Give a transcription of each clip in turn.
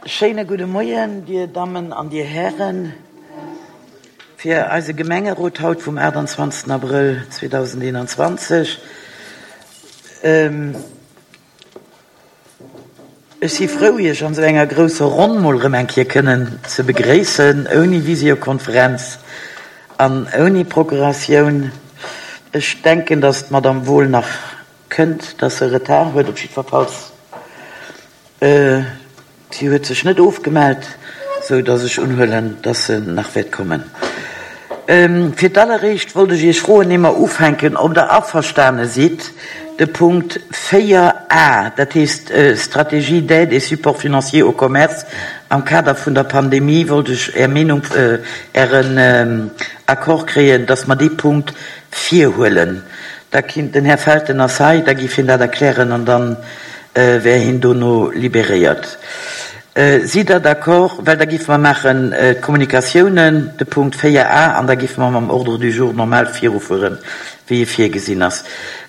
Schéine gudde Moien, Dir Dammen an Dir Hären, fir eise Gemengerot haut vum 28. Abrëll 2021. Ech si frou, Iech an esou enger grousser Ronn mol erëm eng Kéier kënnen ze begréissen, ouni Visiokonferenz an ouni Procuratioun. Ech denken, dass d'Madame Wohl nach kënnt, dass se Retard huet, op jiddwerfalls. Si huet sech net ofgemellt, sou datt ech unhuelen, datt se nach wäert kommen. Fir d'alleréischt wollt ech Iech froen, ier mer ufänken, ob Der averstane sidd, de Punkt 4 a, dat heescht Stratégie d'aide et support financier au commerce am Kader vun der Pandemie, wollt ech Är Meenung, Ären Accord kréien, datt mer dee Punkt virhuelen. Da kinnt den Här Felten ass hei, da giff hien dat erklären an dann wär hien dono libéréiert. Sidd Der d'accord? Well da giffe mer maachen d'Kommunikatiounen, de Punkt 4 a, an da giffe mer mam Ordre du jour normal virufueren, wéi e virgesinn ass.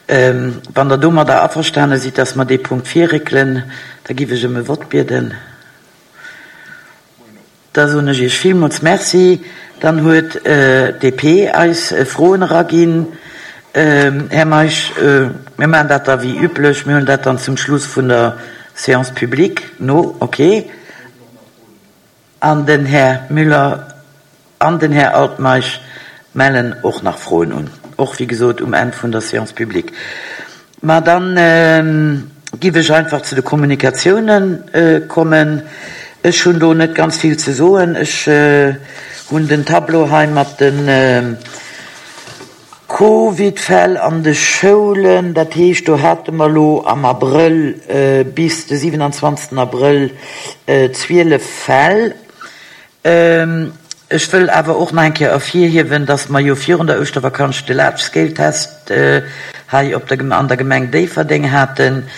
Wann Der domadder averstane sidd, dass mer dee Punkt virréckelen, da giff ech ëm e Vott bieden. Da soen ech Iech villmools Merci. Dann huet d'DP eis Froen eraginn. Här Meisch, mir maachen dat da wéi üblech, mir huelen dat dann zum Schluss vun der Séance publique no. Okay. An den Här Müller an den Här Altmeisch mellen och nach Froen un, och wéi gesot um Enn vun der Séance publique. Ma dann giff ech einfach zu de Kommunikatiounen kommen. Ech hunn do net ganz vill ze soen. Ech hunn den Tableau hei mat de Covidfäll an de Schoulen. Dat heescht, do hate mer elo am Abrëll bis de 27. Abrëll 12 Fäll. Ech wëll awer och nach eng Kéier ervirhiewen, dass mer jo virun der Ouschtervakanz de Large-Scale-Test hei op der, an der Gemeng Déifferdeng haten.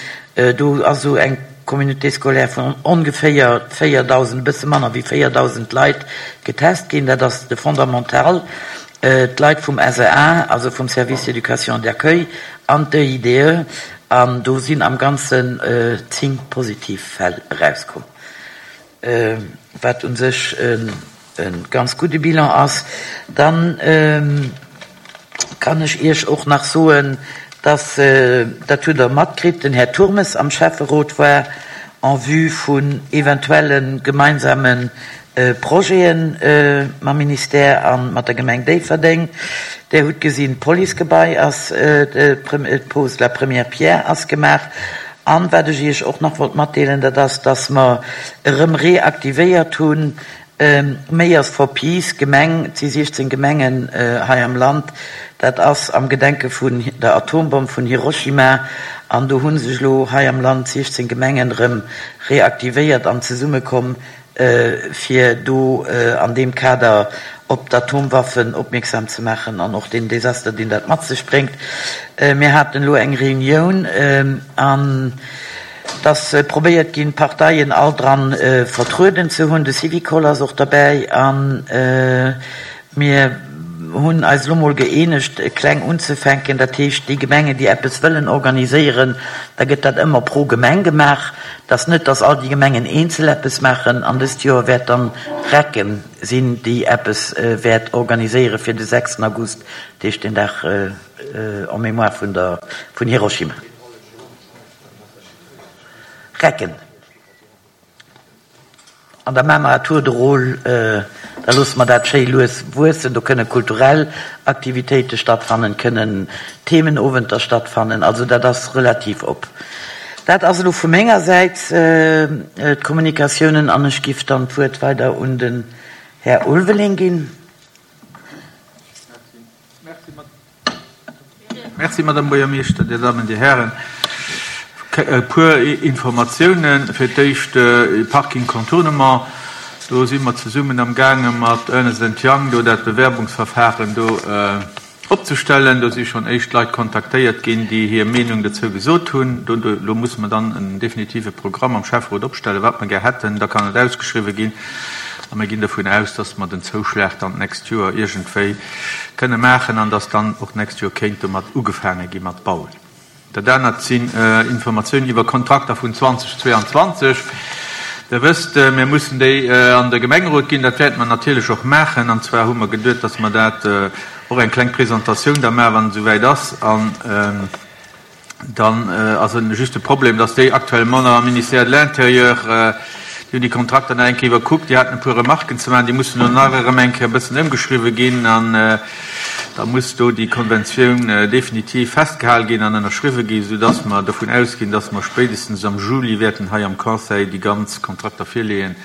Do ass esou eng Communauté scolaire vun ongeféier 4.000, e bësse manner wéi 4.000 Leit getest ginn. Dat ass de Fondamental. D'Leit vum SEA, also vum Service d'éducation et d'accueil, an d'EIDE. An do sinn am Ganzen 10 positiv Fäll erauskomm. Wat u sech e ganz gudde Bilan ass. Dann kann ech Iech och nach soen, dass, dat hutt Der matkritt, den Här Turmes am Schäfferot war en vue vun eventuelle gemeinsame Projete mam Ministère a mat der Gemeng Déifferdeng. Der hutt gesinn, d'Policegebai ass, d'Pose de la première pierre ass gemaach. An wat ech Iech och nach wollt matdeelen, dat ass, dass mer erëm reaktivéiert hunn, Mayors for Peace, Gemeng, et si 16 Gemengen hei am Land, dat ass am Gedenke vun der Atombomm vun Hiroshima, an do hu sech elo hei am Land 16 Gemengen erëm reaktivéiert an zesummekomm, fir do an deem Kader op d'Atomwaffen opmierksam ze maachen an och deen Desaster, deen dat mat sech bréngt. Mir haten elo eng Reunioun an et ass probéiert ginn, d'Parteien all dran vertrueden ze hunn. De Syvicol ass och derbäi a mir hunn eis elo mol gëeenegt, kleng unzefänken. Dat heescht, déi Gemengen, déi eppes wëllen organiséieren, da gëtt dat ëmmer pro Gemeng gemaach. Et ass net, datt all déi Gemengen eenzel eppes maachen. An dëst Joer wäert dann Recken sinn, déi eppes wäert organiséiere fir de 6 August, dat heescht den Dag en mémoire vun der, vun Hiroshima. Recken. An da maache mer à tour de rôle, da loosse mer dat schéi lues wuessen. Do kënne kulturell Aktivitéite stattfannen, kënnen Themenowenter stattfannen. Also dat ass relativ op. Dat ass elo vu menger Säit d'Kommunikatiounen an ech giff dann d'Wuert weider un den Här Ulveling ginn. Merci, Madame Buergermeeschter, Dir Dammen, Dir Hären. E puer Informatiounen. Fir d'éischt Parking Contournement. Do si mer zesummen amgaange mat Ernest and Young do dat Bewerbungsverfahren do opzestellen. Do si schonn éischt Leit kontaktéiert ginn, déi hir Meenung dozou gesot hunn. Do elo musse mer dann en definitive Programm am Schäfferot opstellen, wat mer gär hätten. Da kann et ausgeschriwwen ginn. A mir ginn dovun aus, dass mer den Zouschlag dann d'nächst Joer iergendwéi kënne maachen an dass dann och d'nächst Joer kéint domat ugefaange gi mat bauen. Dat anert sinn Informatiounen iwwer Kontrakter vun 2022. Der wësst, mir mussen déi an de Gemengerot ginn. Dat wäerte mer natierlech och maachen. An zwar hu mer geduet, dass mer dat och eng kleng Presentatioun da maachen, wann et esouwäit ass. An dann ass et just de Problem, dass déi actuellement nach am Ministère de l'Intérieur, déi hunn déi Kontrakter nach eng Kéier iwwerkuckt, déi haten e puer Remarken ze maachen, déi mussen elo nach erëm eng Kéier e bëssen ëmgeschriwwen ginn. An da muss do déi Konventioun definitiv festgehal ginn an ënnerschriwwen ginn, soudass mer dovun ausginn, dass mer spéitestens am Juli wäerten hei am Conseil déi ganz Kontrakter virleeën,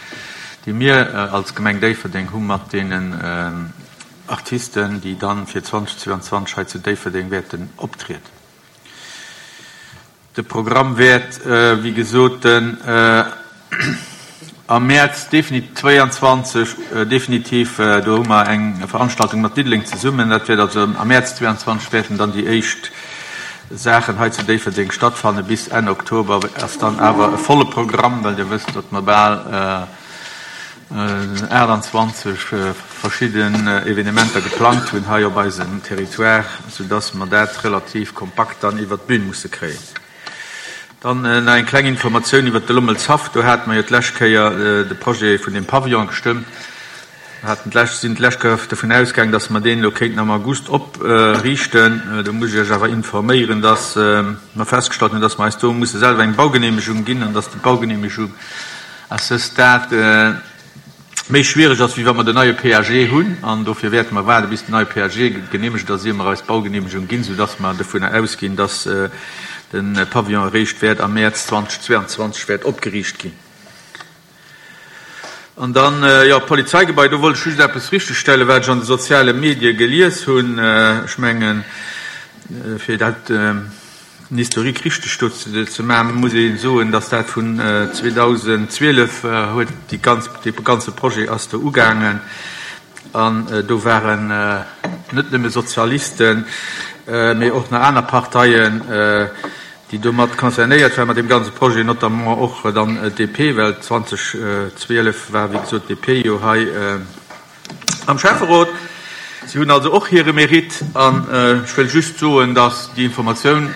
déi mir als Gemeng Déifferdeng hu mat deenen Artisten, déi dann fir 2022 hei zu Déifferdeng wäerten optrieden. De Programm wäert, wéi gesot, den am Mäerz 22 definitiv, do hu mer eng Veranstaltung mat Diddeleng zesummen, dat wäert also am Mäerz 22 wäerten dann déi éischt Saachen hei zu Déifferdeng stattfanne. Bis Enn Oktober ass dann awer e volle Programm, well Dir wësst, datt mer bal 28 verschidden Evenementer geplangt hunn hei op eisem Territoire, soudass mer dat relativ kompakt dann iwwert d'Bün musse kréien. Dann nach eng kleng Informatioun iwwert de Lommelshaff. Do hate mer jo d'lescht Kéier de Projet vun deem Pavillon gestëmmt. Mer haten d'lescht, sinn d'lescht Kéier dovun ausgaangen, dass mer deen elo kéinten am August opriichten. Do muss ech Iech awer informéieren, dass mer festgestallt hunn, dass mer eis do musse selwer eng Baugenehmegung ginn an dass déi Baugenehmegung À ce stade méi schwiereg ass, wéi wa mer den neie PAG hunn. An dofir wäerte mer waarde bis den neie PAG geneemegt ass, ier mer eis Baugeneemegung ginn, soudass mer dovunner ausginn, dass de Pavillon eréischt wäert am Mäerz 2022 wäert opgeriicht ginn. An dann, jo, d'Polizeigebai, do wollt ech just eppes richtegstellen, wat ech an de soziale Medie gelies hunn. Ech mengen, fir dat Den Historique richteg do ze maachen, muss ee soen, datt dat vun 2012 huet déi ganz, dee ganze Projet ass do ugaangen an do waren net nëmme Sozialisten, mee och nach aner Parteien, déi do mat concernéiert waren mat deem ganze Projet, notamment och dann d'DP, well 2012 war wéi gesot d'DP jo hei, Am Schäfferot. Si hunn also och hire Mérite. An ech wëll just soen, dass déi Informatioun,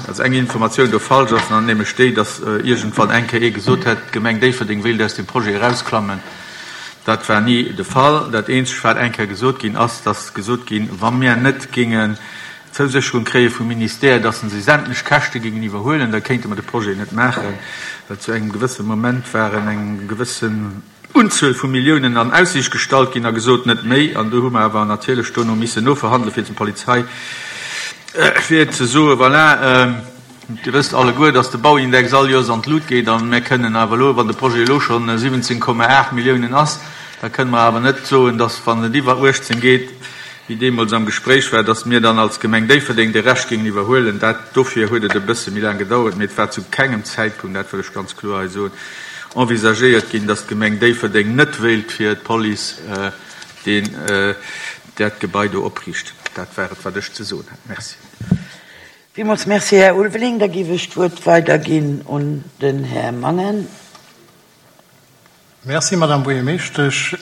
also eng Informatioun do falsch ass, an nämlech déi, dass iergendwann eng Kéier ee gesot hätt, d'Gemeng Déifferdeng wéilt aus deem Projet erausklammen. Dat war ni de Fall. Dat eenzegt, wat eng Kéier gesot ginn ass, dass gesot ginn, wa mir net géingen d'Zousécherung kréie vum Ministère, dass en se sämtlech Käschte géingen iwwerhuelen, da kéinte mer de Projet net maachen, well zu engem gewësse Moment waren eng gewëssen, Unzuel vu Milliounen an Aussiicht gestallt ginn a gesot, net méi. An do hu mer awer natierlech dono missen noverhandelen, fir zum Polizei, fir ze soen, voilà, Dir wësst alleguer, dass de Bauindex all Joers an d'Lut geet a mir kënnen awer elo, wann de Projet elo schonn 17,8 Milliounen ass, da kënnen mer awer net soen, dass, wann et iwwer 18 geet, wéi deemools am Gespréich war, dass mir dann als Gemeng Déifferdeng de Rescht géingen iwwerhuelen. Dat, dofir huet et e bësse méi laang gedauert, mee et war zu kengem Zäitpunkt, dat wëll ech ganz kloer hei soen, envisagéiert ginn, dass d'Gemeng Déifferdeng net wéilt fir d'Police deen, dat Gebai do opriichten. Dat war et, wat ech ze soen hat. Merci. Villmools Merci, Här Ulveling. Da géif ech d'Wuert weiderginn un den Här Mangen. Merci, Madame Buergermeeschtesch.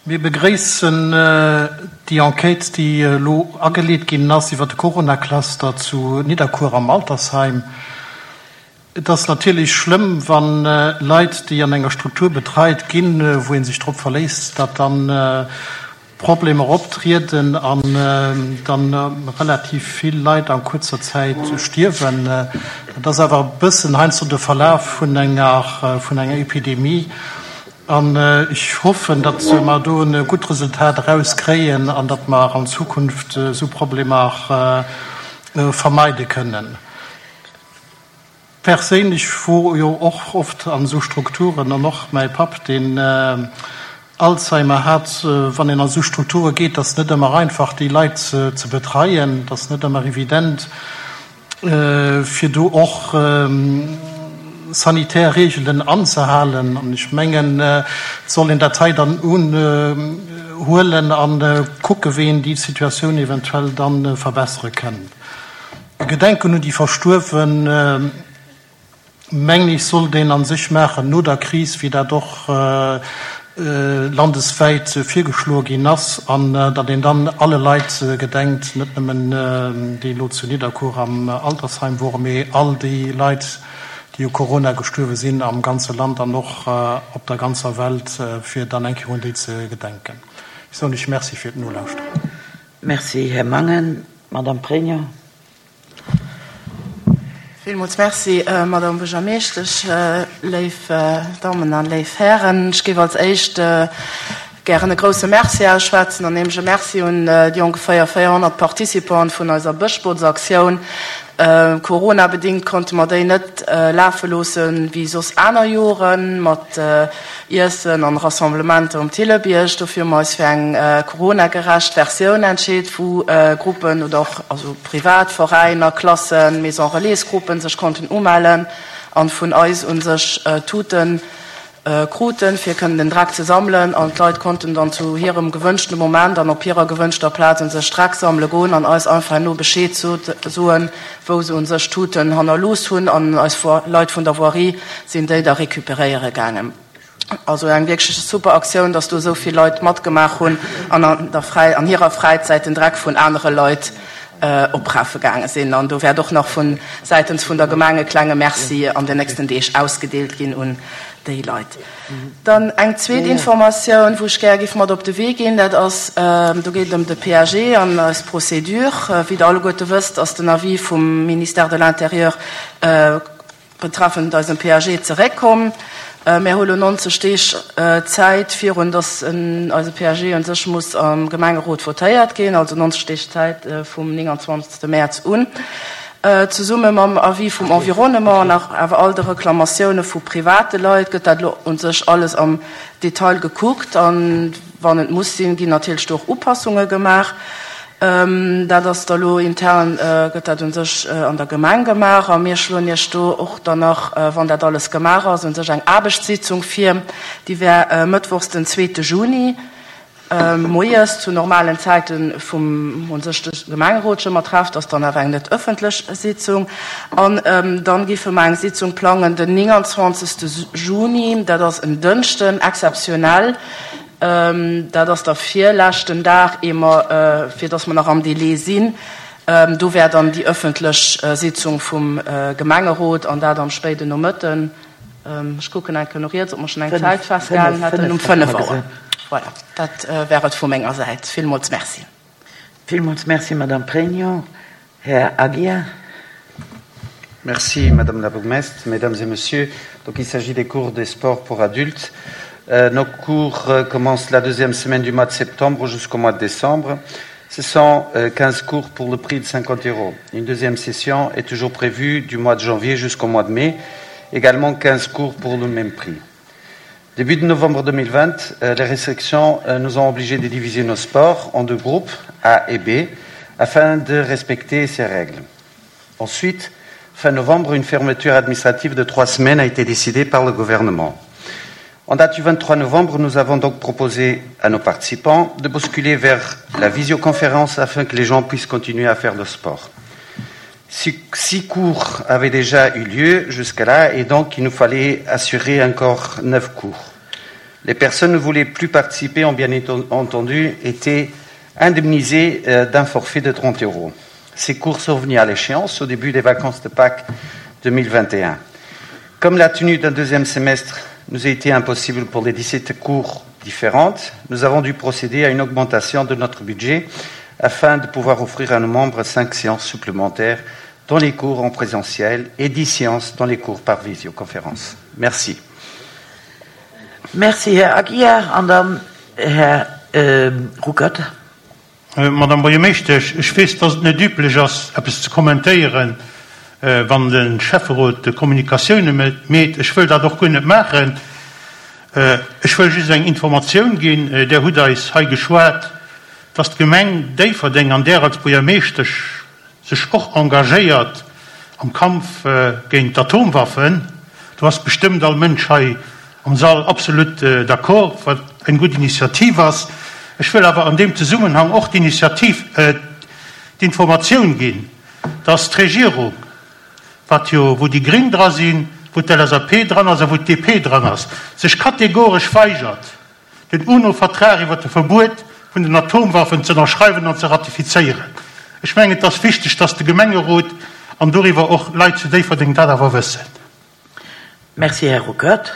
Mir begréissen déi Enquête, déi elo ageleet ginn ass iwwert de Corona-Cluster zu Nidderkuer am Altersheim. Et ass natierlech schlëmm, wa Leit, déi an enger Struktur betreit ginn, wou ee sech drop verléisst, datt dann Problemer optrieden an dann relativ vill Leit a kuerzer Zäit stierwen. Dat ass awer e bëssen heiansdo de Verlaf vun enger vun enger Epidemie. An ech hoffen, datt mer do e gutt Resultat erauskréien an datt mer an Zukunft esou Problemer vermeide kënnen. Perséinlech wor jo och oft an esou Strukturen, an och mäi Papp deen Alzheimer hat, wann een an esou Strukture geet, ass net ëmmer einfach déi Leit ze betreien, et ass net ëmmer evident fir do och sanitär Reegelen anzehalen. An ech mengen et soll een dat hei dann unhuelen a kucke wéi een déi Situatioun eventuell dann verbessere kënnt. E Gedenken un déi Verstuerwen, mengen ech, sollt een a sech maachen no der Kris, wéi dat och landeswäit virgeschloe ginn ass, an datt een dann alle Leit gedenkt, net nëmmen déi elo zu Nidderkuer am Altersheim woren, mee all déi Leit, déi. déi u Corona gestuerwe sinn am ganze Land an och op der ganzer Welt, fir dann eng Kéier un déi ze gedenken. Ech soen lech Merci fir d'Nolauschteren. Merci, Här Mangen. Madame Pregno. Villmools Merci, Madame Buergermeeschtesch, léif Dammen a léif Hären. Ech géif als Éischt gären e grouse Merci ausschwätzen, an nämlech e Merci un déi ongeféier 400 Participanten vun eiser Bëschbootsaktioun. Corona-bedingt konnte mer déi net lafe loosse wéi soss aner Joren, mat Iessen an Rassemblementer um Thillebierg. Dofir hu mer eis fir eng Corona-gerecht Versioun entscheet, wou Gruppen oder och also privat Veräiner, Klassen, Maison Relais Gruppen sech konnten umellen an vun eis un sech Tuten kruten, fir kënnen den Dreck ze sammelen. An d'Leit konnten dann zu hirem gewënschte Moment an op hirer gewënschter Plaz un sech Dreck sammele goen an eis einfach herno Bescheed soen, wou se un sech Tuten hannerlooss hunn an eis Leit vun der Voirie sinn déi da recuperéiere gaangen. Also eng wierklech super Aktioun, dass do esou vill Leit matgemaach hunn an an der Fräi an hirer Fräizäit den Dreck vun anere Leit oprafe gaange sinn. An do wäert och nach vu säitens vun der Gemeng e klenge Merci an den nächsten Deeg ausgedeelt ginn un déi Leit. Dann eng zweet Informatioun, wou ech gär géif mat op de Wee ginn, dat ass, do geet et ëm de PAG an eis Procédure. Wéi Der alleguerte wësst, ass den Avis vum Ministère de l'Intérieur betreffend eisem PAG zeréckkomm. Mär hu lo 90 Deeg Zäit, virun datt eise PAG u sech muss am Gemengerot votéiert ginn, also 90 Deeg Zäit vum 29. Mäerz un. Zesumme mam Avis vum Environnement an awer all de Reklamatioune vu private Leit gëtt dat elo u sech alles am Detail gekuckt. A wann et muss sinn, ginn natierlech do och Upassunge gemaach. Dat ass da lo intern, gëtt dat u sech an der Gemeng gemaach. A mir schloen Iech do och dann nach, wann dat alles gemaach ass, u sech eng Aarbechtssitzung vir. Déi wär mëttwochs den zweete Juni. Moies zu normalen Zäiten vum un sech de Gemengerot scho mat trefft, ass dann awer eng net ëffentlech Sitzung. An dann géife mer eng Sitzung plangen den 29. Juni, dat ass en Dënschden, exzeptionell, dat ass da virleschten Dag, ier mer, fir datt mer nach am Délai sinn, do wär dann déi ëffentlech Sitzung vum Gemengerot an dat am spéiden Nomëtten. Ech kucken eng Kéier no riets, ob mer schonn eng Zäit festgehalen hätten. Um 5 Auer. Voilà, dat wär et vu menger Säit. Villmools Merci. Villmools Merci, Madame Pregno. Här Aguiar. Merci, Madame la bourgmestre, Mesdames et Messieurs. Donc, il s'agit des cours des sports pour adultes. Euh, nos cours euh, commencent la deuxième semaine du mois de septembre jusqu'au mois de décembre. Ce sont euh, 15 cours pour le prix de 50 euros. Une deuxième session est toujours prévue du mois de janvier jusqu'au mois de mai, également 15 cours pour le même prix. Début de novembre 2020, euh, les restrictions euh, nous ont obligés de diviser nos sports en deux groupes, A et B, afin de respecter ces règles. Ensuite, fin novembre, une fermeture administrative de trois semaines a été décidée par le gouvernement. En date du 23 novembre, nous avons donc proposé à nos participants de basculer vers la visioconférence afin que les gens puissent continuer à faire le sport. Six, six cours avaient déjà eu lieu jusqu'à là et donc il nous fallait assurer encore neuf cours. Les personnes ne voulaient plus participer ont bien entendu été indemnisées euh, d'un forfait de 30 euros. Ces cours sont venus à l'échéance au début des vacances de Pâques 2021. Comme la tenue d'un deuxième semestre nous a été impossible pour les 17 cours différentes, nous avons dû procéder à une augmentation de notre budget afin de pouvoir offrir à nos membres cinq séances supplémentaires dans les cours en présentiel et 10 séances dans les cours par visioconférence. Merci. Merci, Här Aguiar. An dann Här äh, Ruckert. Äh, Madame Buergermeeschtesch, ech weess, dass et net üblech ass, eppes ze kommentéieren, äh, wann de Schäfferot Kommunikatioune meet. Ech wëll dat och guer net maachen. Äh, ech wëll just eng Informatioun ginn. Där hutt eis hei geschwat, dass d'Gemeng Déifferdeng an där als Buergermeeschtesch sech och engagéiert am Kampf géint d'Atomwaffen. Do ass bestëmmt all Mënsch hei am Sall absolut d'accord, wat eng gutt Initiativ ass. Ech wëll awer an deem Zesummenhang och d'Initiativ, d'Informatioun ginn, dass d'Regierung, wat jo, wou déi Gréng dra sinn, wou d'LSAP dran ass a wou d'DP dran ass, sech kategoresch weigert, den UNO-Vertrag iwwer de Verbuet vun den Atomwaffen ze ënnerschreiwen an ze ratifizéieren. Ech mengen, et ass wichteg, dass de Gemengerot an doriwwer och Leit zu Déifferdeng dat awer wëssen. Merci, Här Ruckert.